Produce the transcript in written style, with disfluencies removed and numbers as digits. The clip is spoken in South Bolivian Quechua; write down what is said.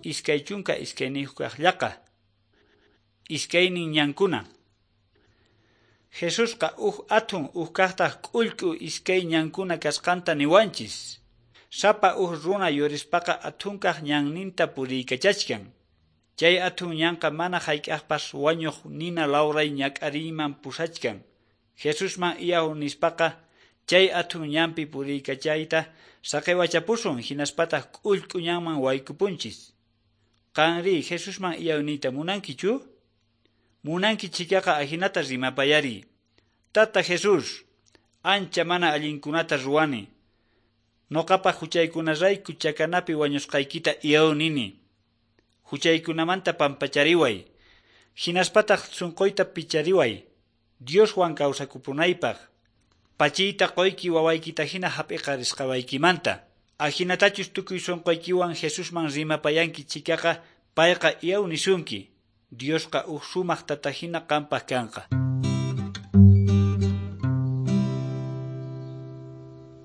22 kaq llaqa. Iskaynin ñankuna. Jesusqa uj athun uj kaqtaq k'ullku iskay ñankuna kasqanta niwanchis. Sapa uj runa yurispaqa athunkaq ñanninta puriykachachkan. Chay athun ñanqa mana hayk'aqpas wañuq nina lawray ñak'ariyman pusachkan. Jesusman iyaw nispaqa chay athun ñanpi puriykachayta saqiwachapusun hinaspataq k'ullku ñanman waykupunchis. Qanri Jesusman iyaw niyta munankichu? Munanki chikaqa ajinata rimapayari. Tata Jesús, ancha mana allinkunata ruwani. Noqapaq huchaykunarayku chakanapi wañusqaykita iyaw nini. Huchaykunamanta pampachariway. Hinaspataq sunquyta pichariway. Dioswan kawsakupunaypaq. Pachiyta qoyki wawaykita hina hap'iqarisqawaykimanta. Ajinatachus tukuy sunquykiwan Jesusman rimapayanki chikaqa payqa iyaw nisunki. Diosqa uj sumaq tata hina qampaq kanqa.